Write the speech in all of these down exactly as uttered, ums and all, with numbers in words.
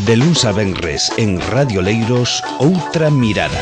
De luns a venres en Radio Leiros, Outra Mirada.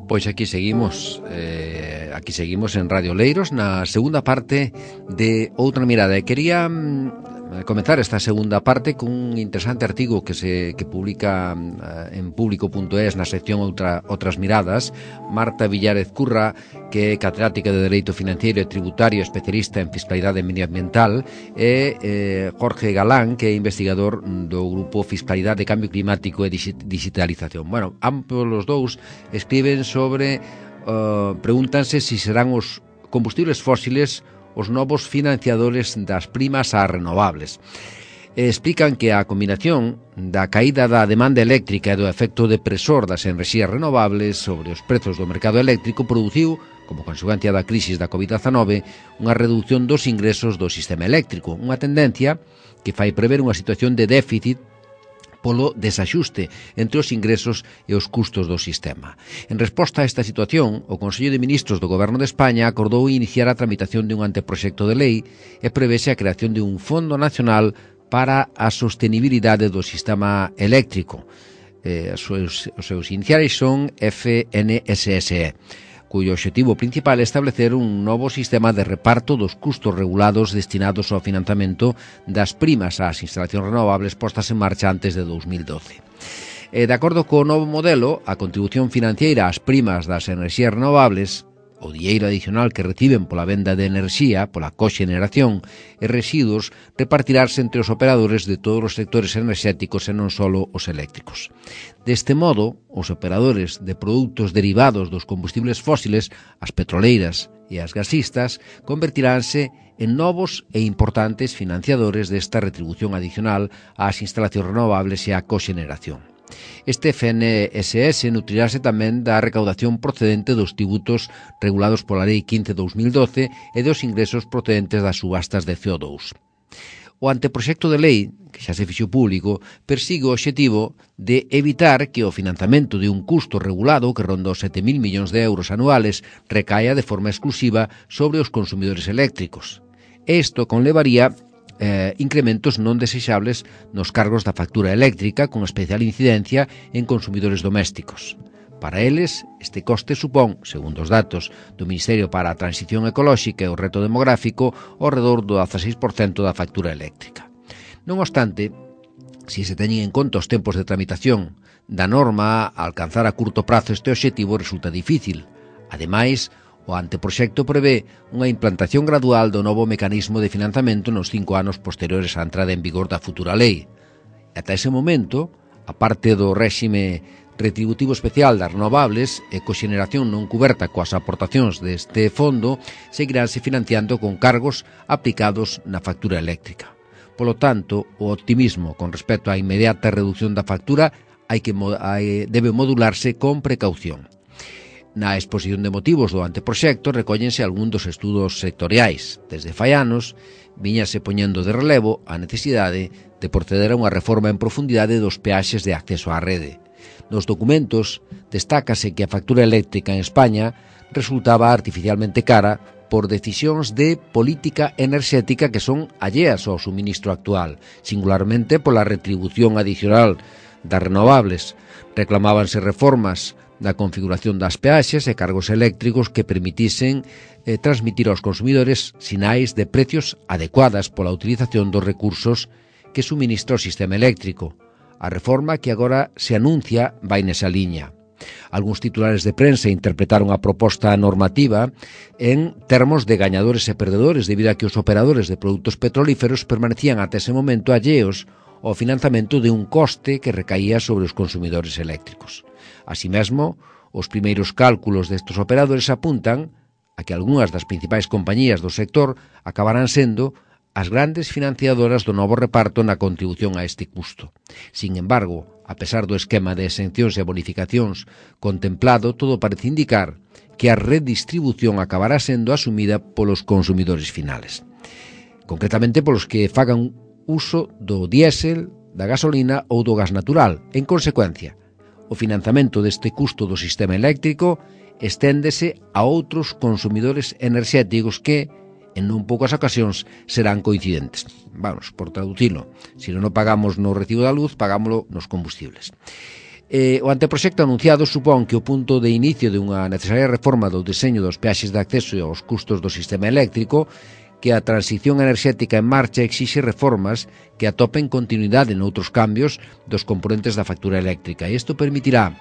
Pois aquí seguimos, eh, aquí seguimos en Radio Leiros na segunda parte de Outra Mirada. E quería mm, comenzar esta segunda parte cun interesante artigo que se que publica uh, en público punto es na sección Outra, Outras Miradas. Marta Villárez Curra, que é catedrática de Dereito Financiero e Tributario, especialista en Fiscalidade Medioambiental, e eh, Jorge Galán, que é investigador do Grupo Fiscalidade, Cambio Climático e Digitalización. Bueno, ambos os dous escriben sobre, uh, pregúntanse se si serán os combustibles fósiles os novos financiadores das primas ás renovables. Explican que a combinación da caída da demanda eléctrica e do efecto depresor das enerxías renovables sobre os prezos do mercado eléctrico produciu, como consecuencia da crisis da covid dezanove, unha reducción dos ingresos do sistema eléctrico, unha tendencia que fai prever unha situación de déficit polo desaxuste entre os ingresos e os custos do sistema. En resposta a esta situación, o Consello de Ministros do Goberno de España acordou iniciar a tramitación de un anteproxecto de lei e prevese a creación de un Fondo Nacional para a sostenibilidade do sistema eléctrico. Eh, os, seus, os seus iniciais son F N S S E, cuyo objetivo principal é establecer un novo sistema de reparto dos custos regulados destinados ao financiamento das primas ás instalacións renovables postas en marcha antes de dos mil doce. E, de acordo co novo modelo, a contribución financiera ás primas das enerxías renovables, o dinheiro adicional que reciben pola venda de enerxía, pola coxeneración e residuos, repartirase entre os operadores de todos os sectores enerxéticos e non só os eléctricos. Deste modo, os operadores de produtos derivados dos combustibles fósiles, as petroleiras e as gasistas, convertiránse en novos e importantes financiadores desta retribución adicional ás instalacións renovables e á coxeneración. Este F N S S nutrirase tamén da recaudación procedente dos tributos regulados pola Lei quince barra dos mil doce e dos ingresos procedentes das subastas de C O dous. O anteproxecto de lei, que xa se fixo público, persigue o obxectivo de evitar que o financiamento de un custo regulado que ronda os sete mil millóns de euros anuales recaia de forma exclusiva sobre os consumidores eléctricos. Isto conlevaría Eh, incrementos non desexables nos cargos da factura eléctrica con especial incidencia en consumidores domésticos. Para eles, este coste supón, segundo os datos do Ministerio para a Transición Ecolóxica e o Reto Demográfico, ao redor do dezaseis por cento da factura eléctrica. Non obstante, se se teñen en conta os tempos de tramitación da norma, a alcanzar a curto prazo este obxectivo resulta difícil. Ademais, o anteproxecto prevé unha implantación gradual do novo mecanismo de financiamento nos cinco anos posteriores á entrada en vigor da futura lei. Ata ese momento, a parte do réxime retributivo especial das renovables e coxeneración non cuberta coas aportacións deste fondo, seguiránse financiando con cargos aplicados na factura eléctrica. Polo tanto, o optimismo con respecto á inmediata reducción da factura hai que, hai, debe modularse con precaución. Na exposición de motivos do anteproxecto recóllense algún dos estudos sectoriais. Desde fai anos, viñase poñendo de relevo a necesidade de proceder a unha reforma en profundidade dos peaxes de acceso á rede. Nos documentos destácase que a factura eléctrica en España resultaba artificialmente cara por decisións de política enerxética que son alleas ao suministro actual, singularmente pola retribución adicional das renovables. Reclamábanse reformas da configuración das peaxes e cargos eléctricos que permitisen eh, transmitir aos consumidores sinais de precios adecuadas pola utilización dos recursos que suministra o sistema eléctrico. A reforma que agora se anuncia vai nesa liña. Algúns titulares de prensa interpretaron a proposta normativa en termos de gañadores e perdedores debido a que os operadores de produtos petrolíferos permanecían ata ese momento alleos ao financiamento de un coste que recaía sobre os consumidores eléctricos. Así mesmo, os primeiros cálculos destes operadores apuntan a que algunhas das principais compañías do sector acabarán sendo as grandes financiadoras do novo reparto na contribución a este custo. Sin embargo, a pesar do esquema de exencións e bonificacións contemplado, todo parece indicar que a redistribución acabará sendo asumida polos consumidores finales. Concretamente polos que fagan uso do diésel, da gasolina ou do gas natural. En consecuencia, o financiamento deste custo do sistema eléctrico esténdese a outros consumidores enerxéticos que, en non poucas ocasións, serán coincidentes. Vamos, por traducilo, se non pagamos no recibo da luz, pagámoslo nos combustibles. Eh, o anteproxecto anunciado supón que o punto de inicio de unha necesaria reforma do deseño dos peaxes de acceso e aos custos do sistema eléctrico, que a transición enerxética en marcha exixe reformas que atopen continuidade noutros cambios dos componentes da factura eléctrica. E isto permitirá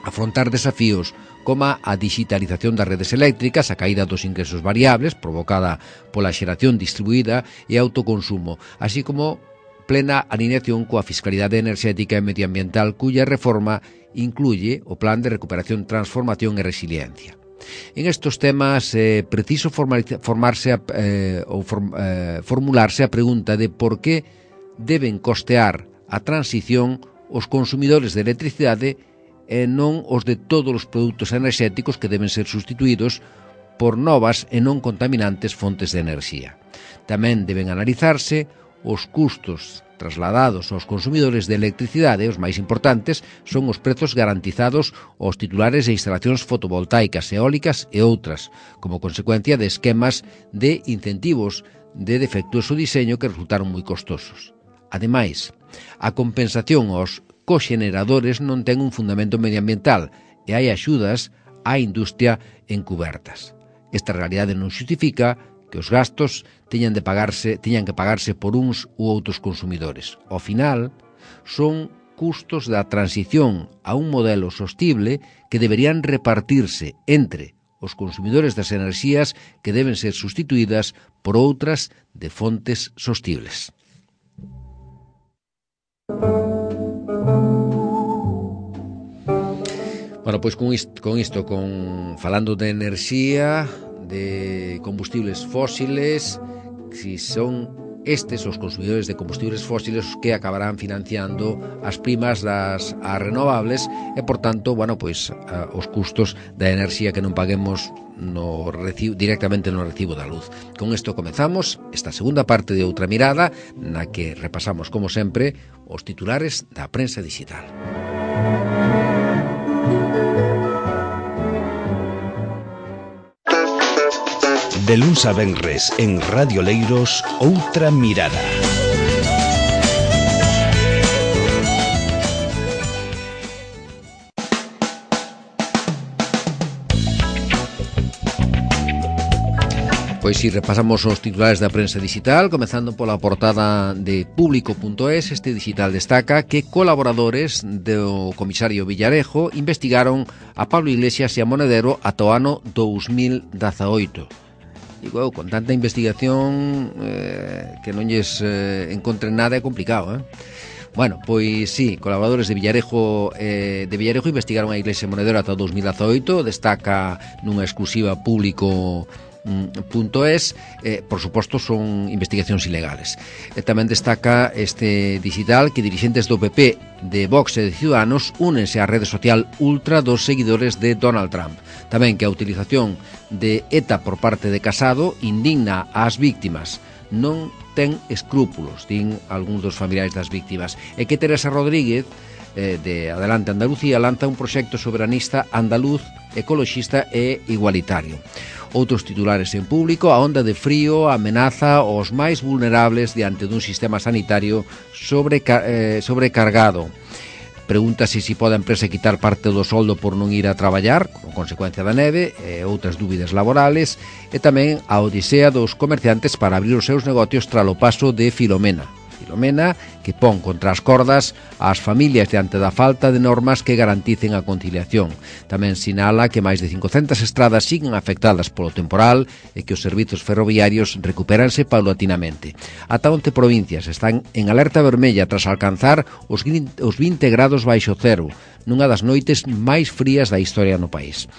afrontar desafíos como a digitalización das redes eléctricas, a caída dos ingresos variables provocada pola xeración distribuída e autoconsumo, así como plena alineación coa fiscalidade enerxética e medioambiental, cuya reforma incluye o Plan de Recuperación, Transformación e Resiliencia. En estos temas é eh, preciso formarse a, eh, ou form, eh, formularse a pregunta de por que deben costear a transición os consumidores de electricidade e non os de todos os produtos enerxéticos que deben ser sustituídos por novas e non contaminantes fontes de enerxía. Tamén deben analizarse os custos trasladados aos consumidores de electricidade. Os máis importantes son os prezos garantizados aos titulares de instalacións fotovoltaicas, eólicas e outras, como consecuencia de esquemas de incentivos de defectuoso diseño que resultaron moi costosos. Ademais, a compensación aos coxeneradores non ten un fundamento medioambiental e hai axudas á industria encubertas. Esta realidade non xustifica que os gastos teñan de pagarse, teñan que pagarse por uns ou outros consumidores. Ao final, son custos da transición a un modelo sostible que deberían repartirse entre os consumidores das enerxías que deben ser sustituídas por outras de fontes sostibles. Bueno, pois con isto, con isto, con falando de enerxía, de combustibles fósiles, si son estes os consumidores de combustibles fósiles os que acabarán financiando as primas das as renovables e, por tanto, bueno, pois a, os custos da enerxía que non paguemos no recibo, directamente no recibo da luz. Con isto comezamos esta segunda parte de Outra Mirada, na que repasamos, como sempre, os titulares da prensa digital. De luns a venres en Radio Leiros, Outra Mirada. Pois si repasamos os titulares da prensa digital, comezando pola portada de Público punto es. Este digital destaca que colaboradores do comisario Villarejo investigaron a Pablo Iglesias e a Monedero ata o ano dous mil dezaoito. Digo, eu, con tanta investigación eh, que non lles eh, encontren nada é complicado, eh? Bueno, pois sí, colaboradores de Villarejo eh, de Villarejo investigaron a Iglesia Monedero ata o dous mil dezaoito, destaca nunha exclusiva Público punto es, eh, por suposto son investigacións ilegales. E tamén destaca este digital que dirixentes do P P, de Vox e de Ciudadanos únense á rede social ultra dos seguidores de Donald Trump. Tamén que a utilización de ETA por parte de Casado indigna ás víctimas, non ten escrúpulos, din algúns dos familiares das víctimas, e que Teresa Rodríguez, eh, de Adelante Andalucía, lanza un proxecto soberanista andaluz, ecoloxista e igualitario. Outros titulares en Público: a onda de frío amenaza aos máis vulnerables diante dun sistema sanitario sobreca- eh, sobrecargado. Pregúntase se pode a empresa quitar parte do soldo por non ir a traballar, con consecuencia da neve, e outras dúbidas laborales, e tamén a odisea dos comerciantes para abrir os seus negocios tralo paso de Filomena. Filomena, que pon contra as cordas ás familias diante da falta de normas que garanticen a conciliación. Tamén sinala que máis de cincocentas estradas siguen afectadas polo temporal e que os servizos ferroviarios recupéranse paulatinamente. Ata once provincias están en alerta vermella tras alcanzar os vinte grados baixo cero, nunha das noites máis frías da historia no país.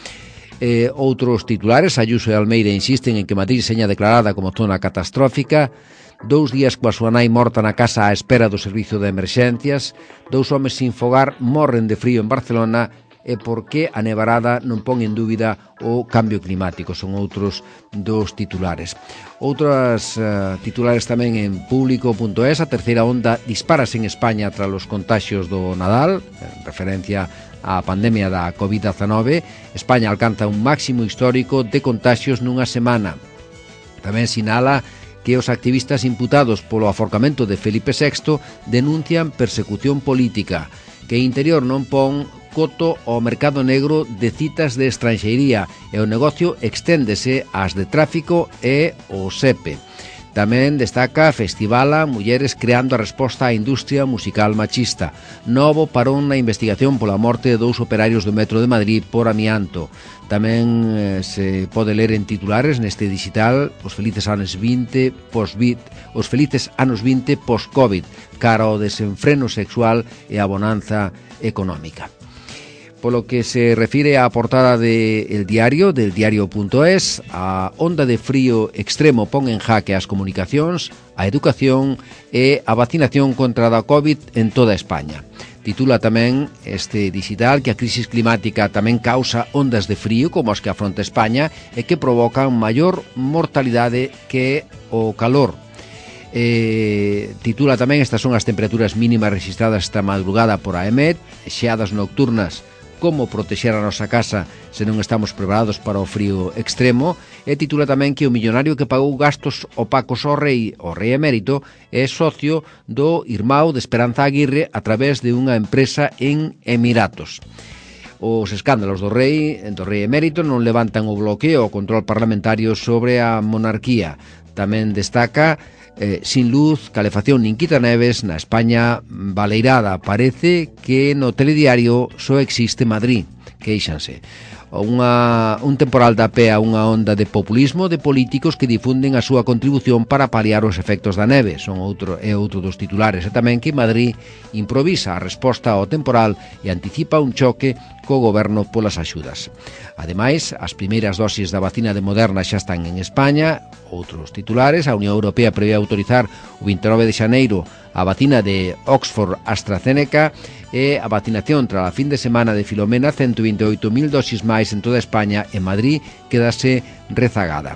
Eh, outros titulares: Ayuso e Almeida insisten en que Madrid seña declarada como zona catastrófica. Dous días coa súa nai morta na casa á espera do servizo de emerxencias. Dous homes sin fogar morren de frío en Barcelona. E por que a nevarada non pon en dúbida o cambio climático. Son outros dos titulares. Outras uh, titulares tamén en Público punto es. A terceira onda dispárase en España tras os contaxios do Nadal, en referencia a pandemia da covid dezanove, España alcanza un máximo histórico de contagios nunha semana. Tamén sinala que os activistas imputados polo aforcamento de Felipe sexto denuncian persecución política, que Interior non pon coto ao mercado negro de citas de estranxeiría e o negocio exténdese ás de tráfico e o SEPE. Tamén destaca Festivala Mulleres creando a resposta á industria musical machista. Novo parón na investigación pola morte de dous operarios do Metro de Madrid por amianto. Tamén eh, se pode ler en titulares neste digital os felices anos vinte post-Covid, os felices anos vinte post-Covid, cara ao desenfreno sexual e a bonanza económica. Polo que se refire á portada de El Diario, del diario punto es, a onda de frío extremo pon en jaque as comunicacións, a educación e a vacinación contra a COVID en toda España. Titula tamén este digital que a crisis climática tamén causa ondas de frío como as que afronta España e que provocan maior mortalidade que o calor. Eh, titula tamén estas son as temperaturas mínimas registradas esta madrugada por a EMET, xeadas nocturnas, como protexer a nosa casa se non estamos preparados para o frío extremo, e titula tamén que o millonario que pagou gastos opacos ao rei, o rei emérito, é socio do irmão de Esperanza Aguirre a través de unha empresa en Emiratos. Os escándalos do rei, do rei emérito non levantan o bloqueo ao control parlamentario sobre a monarquía. Tamén destaca Eh, sin luz, calefacción nin quitaneves na España baleirada. Parece que no telediario só existe Madrid, queixanse. Unha, un temporal da pea unha onda de populismo de políticos que difunden a súa contribución para paliar os efectos da neve. Son outro, é outro dos titulares. E tamén que Madrid improvisa a resposta ao temporal e anticipa un choque co goberno polas axudas. Ademais, as primeiras dosis da vacina de Moderna xa están en España. Outros titulares, a Unión Europea prevé autorizar o vinte e nove de xaneiro a vacina de Oxford AstraZeneca e a vacinación tras a fin de semana de Filomena, ciento vinte e oito mil dosis máis en toda España. En Madrid quedase rezagada.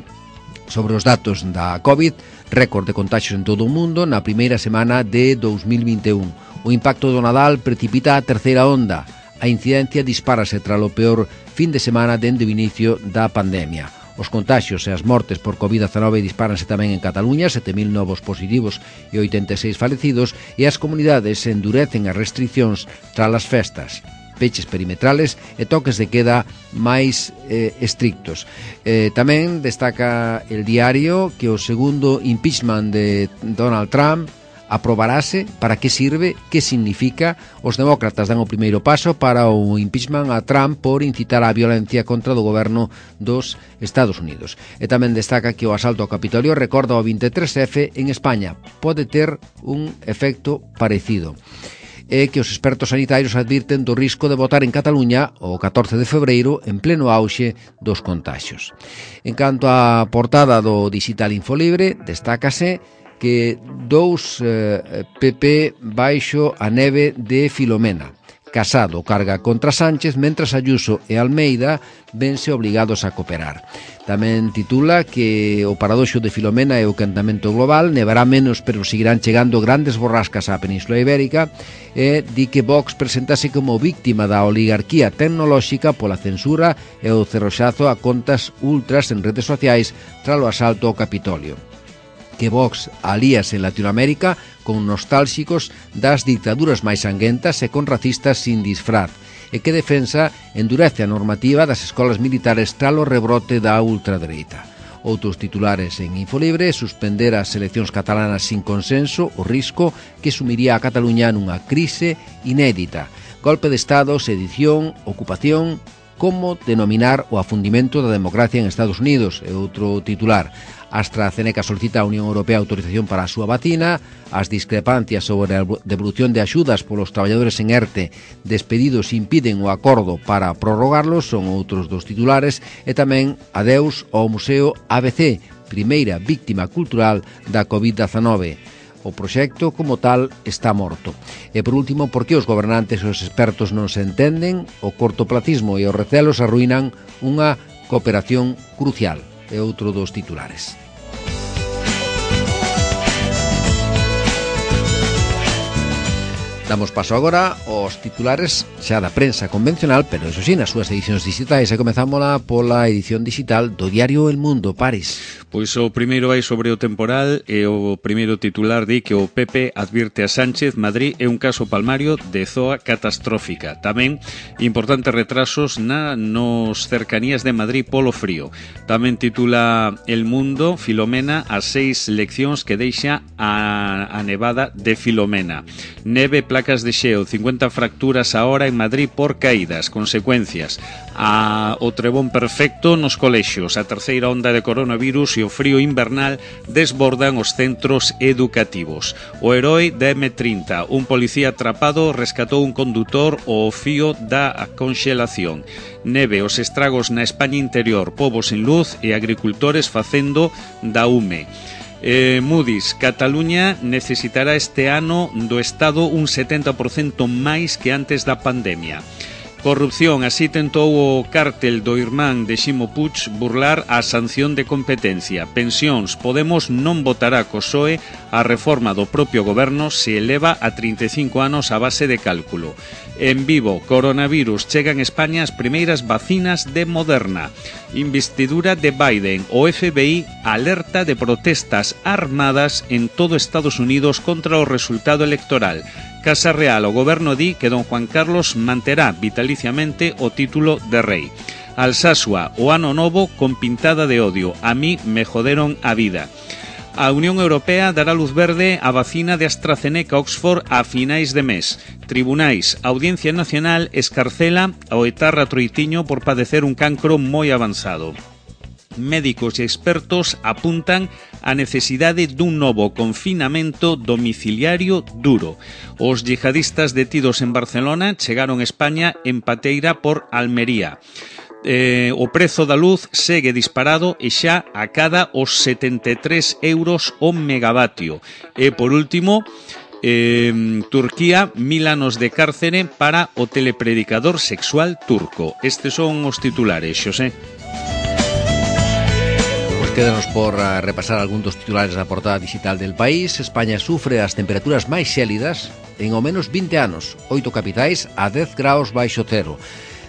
Sobre os datos da COVID, récord de contagios en todo o mundo na primeira semana de dous mil vinte e un. O impacto do Nadal precipita a terceira onda. A incidencia dispárase tras o peor fin de semana dende o inicio da pandemia. Os contagios e as mortes por covid dezanove dispáranse tamén en Cataluña, sete mil novos positivos e oitenta e seis falecidos, e as comunidades endurecen as restriccións tras as festas, peches perimetrales e toques de queda máis eh, estrictos. Eh, tamén destaca El Diario que o segundo impeachment de Donald Trump aprobarase, para que sirve, que significa. Os demócratas dan o primeiro paso para o impeachment a Trump por incitar a violencia contra do goberno dos Estados Unidos. E tamén destaca que o asalto ao Capitolio recorda o veintitrés efe en España. Pode ter un efecto parecido. E que os expertos sanitarios advirten do risco de votar en Cataluña o catorce de febreiro en pleno auxe dos contagios. En canto á portada do Digital Infolibre, destácase que dous eh, P P baixo a neve de Filomena. Casado carga contra Sánchez, mentras Ayuso e Almeida vense obligados a cooperar. Tamén titula que o paradoxo de Filomena é o quentamento global, nevará menos pero seguirán chegando grandes borrascas á Península Ibérica, e di que Vox presentase como víctima da oligarquía tecnolóxica pola censura e o cerroxazo a contas ultras en redes sociais tras o asalto ao Capitolio. Que Vox alíase en Latinoamérica con nostálxicos das dictaduras máis sanguentas e con racistas sin disfraz, e que defensa endurece a normativa das escolas militares tras o rebrote da ultradereita. Outros titulares en Infolibre: suspender as eleccións catalanas sin consenso, o risco que sumiría a Cataluña nunha crise inédita. Golpe de Estado, sedición, ocupación, como denominar o afundimento da democracia en Estados Unidos, é outro titular. AstraZeneca solicita a Unión Europea autorización para a súa vacina. As discrepancias sobre a devolución de axudas polos traballadores en ERTE despedidos impiden o acordo para prorrogarlos, son outros dos titulares. E tamén adeus ao Museo A B C, primeira víctima cultural da covid dezanove. O proxecto, como tal, está morto. E, por último, por que os gobernantes e os expertos non se entenden? O cortoplacismo e os recelos arruinan unha cooperación crucial. É outro dos titulares. Damos paso agora aos titulares xa da prensa convencional, pero eso sí, nas súas edicións digitais. E comezámola pola edición digital do diario El Mundo. Paris. Pois o primeiro vai sobre o temporal e o primeiro titular di que o P P advirte a Sánchez: Madrid é un caso palmario de zoa catastrófica. Tamén importantes retrasos na nos cercanías de Madrid polo frío. Tamén titula El Mundo: Filomena, as seis leccións que deixa a, a nevada de Filomena. Neve, placas de xeo, cincuenta fracturas a hora en Madrid por caídas, consecuencias. A, o trebón perfecto nos colexios, a terceira onda de coronavirus e o frío invernal desbordan os centros educativos. O herói da eme trinta, un policía atrapado rescatou un condutor ao fío da conxelación. Neve, os estragos na España interior, povos sin luz e agricultores facendo da UME. Eh, Moody's, Cataluña necesitará este ano do Estado un setenta por cento máis que antes da pandemia. Corrupción, así tentou o cártel do irmán de Ximo Puig burlar a sanción de competencia. Pensións, Podemos non votará co P S O E a reforma do propio goberno se eleva a trinta e cinco anos a base de cálculo. En Vivo, coronavirus, chegan a España as primeiras vacinas de Moderna. Investidura de Biden, o F B I alerta de protestas armadas en todo Estados Unidos contra o resultado electoral. Casa Real, o goberno di que don Juan Carlos manterá vitaliciamente o título de rei. Alsasua, o ano novo con pintada de odio. A mí me joderon a vida. A Unión Europea dará luz verde á vacina de AstraZeneca Oxford a finais de mes. Tribunais, a Audiencia Nacional escarcela ao etarra Troitiño por padecer un cancro moi avanzado. Médicos e expertos apuntan a necesidade dun novo confinamento domiciliario duro. Os yihadistas detidos en Barcelona chegaron a España en pateira por Almería. Eh, o prezo da luz segue disparado e xa acada os setenta e tres euros o megavatio. E por último, eh, Turquía, mil anos de cárcere para o telepredicador sexual turco. Estes son os titulares, Xosé. Quédanos por uh, repasar algún dos titulares da portada digital del País. España sufre as temperaturas máis xélidas en ao menos vinte anos. Oito capitais a dez graus baixo cero.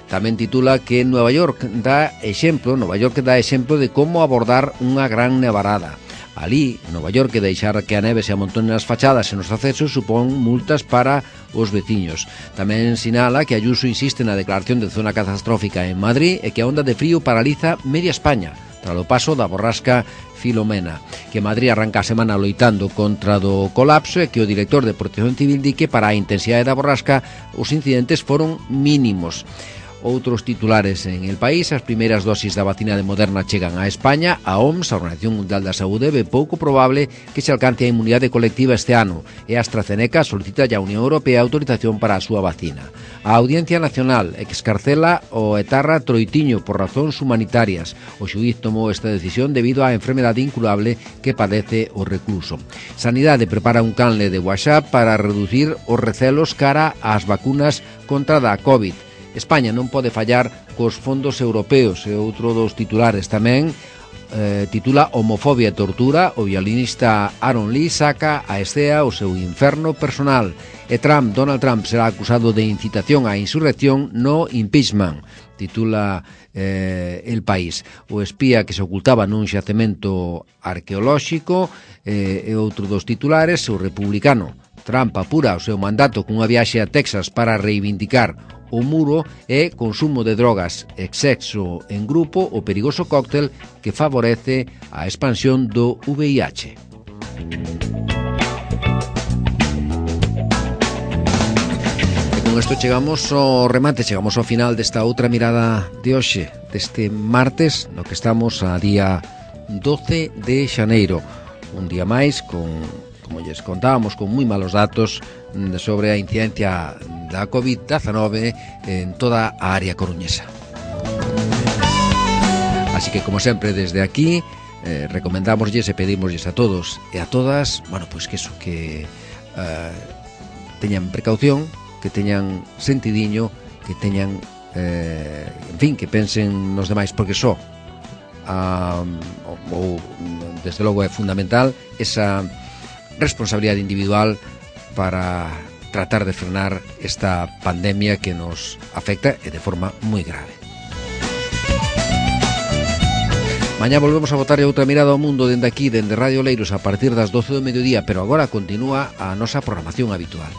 Tamén titula que Nueva York dá exemplo, Nova York dá exemplo de como abordar unha gran nevarada. Alí, Nova York, que deixar que a neve se amontone nas fachadas e nos accesos supón multas para os veciños. Tamén sinala que Ayuso insiste na declaración de zona catastrófica en Madrid e que a onda de frío paraliza media España tras o paso da borrasca Filomena, que Madrid arranca a semana loitando contra do colapso e que o director de Protección Civil di que para a intensidade da borrasca os incidentes foron mínimos. Outros titulares en El País: as primeiras dosis da vacina de Moderna chegan a España. A O M S, a Organización Mundial da Saúde, ve pouco probable que se alcance a inmunidade colectiva este ano e a AstraZeneca solicita ya a Unión Europea autorización para a súa vacina. A Audiencia Nacional excarcela o etarra Troitiño por razóns humanitarias. O xuíz tomou esta decisión debido á enfermedade incurable que padece o recluso. Sanidade prepara un canle de WhatsApp para reducir os recelos cara ás vacunas contra da COVID. España non pode fallar cos fondos europeos, e outro dos titulares tamén eh, titula Homofobia e tortura. O violinista Aaron Lee saca a escea o seu inferno personal. E Trump, Donald Trump, será acusado de incitación á insurrección no impeachment, titula eh, El País. O espía que se ocultaba nun xacemento arqueolóxico eh, e outro dos titulares. O republicano Trump apura o seu mandato cunha viaxe a Texas para reivindicar o muro e consumo de drogas e sexo en grupo, o perigoso cóctel que favorece a expansión do V I H. E con isto chegamos ao remate, chegamos ao final desta outra mirada de hoxe, deste martes, no que estamos a día doce de xaneiro. Un día máis con, como lles contábamos, con moi malos datos sobre a incidencia da covid diecinueve en toda a área coruñesa. Así que, como sempre, desde aquí eh, recomendámoslles e pedímoslles a todos e a todas, bueno, pois pues que eso, que eh, teñan precaución, que teñan sentidiño, que teñan eh, en fin, que pensen nos demais, porque só ah, ou, desde logo é fundamental esa responsabilidade individual para tratar de frenar esta pandemia que nos afecta e de forma moi grave. Mañá volvemos a botarlle outra mirada ao mundo dende aquí, dende Radio Leiros, a partir das doce do mediodía, pero agora continúa a nosa programación habitual.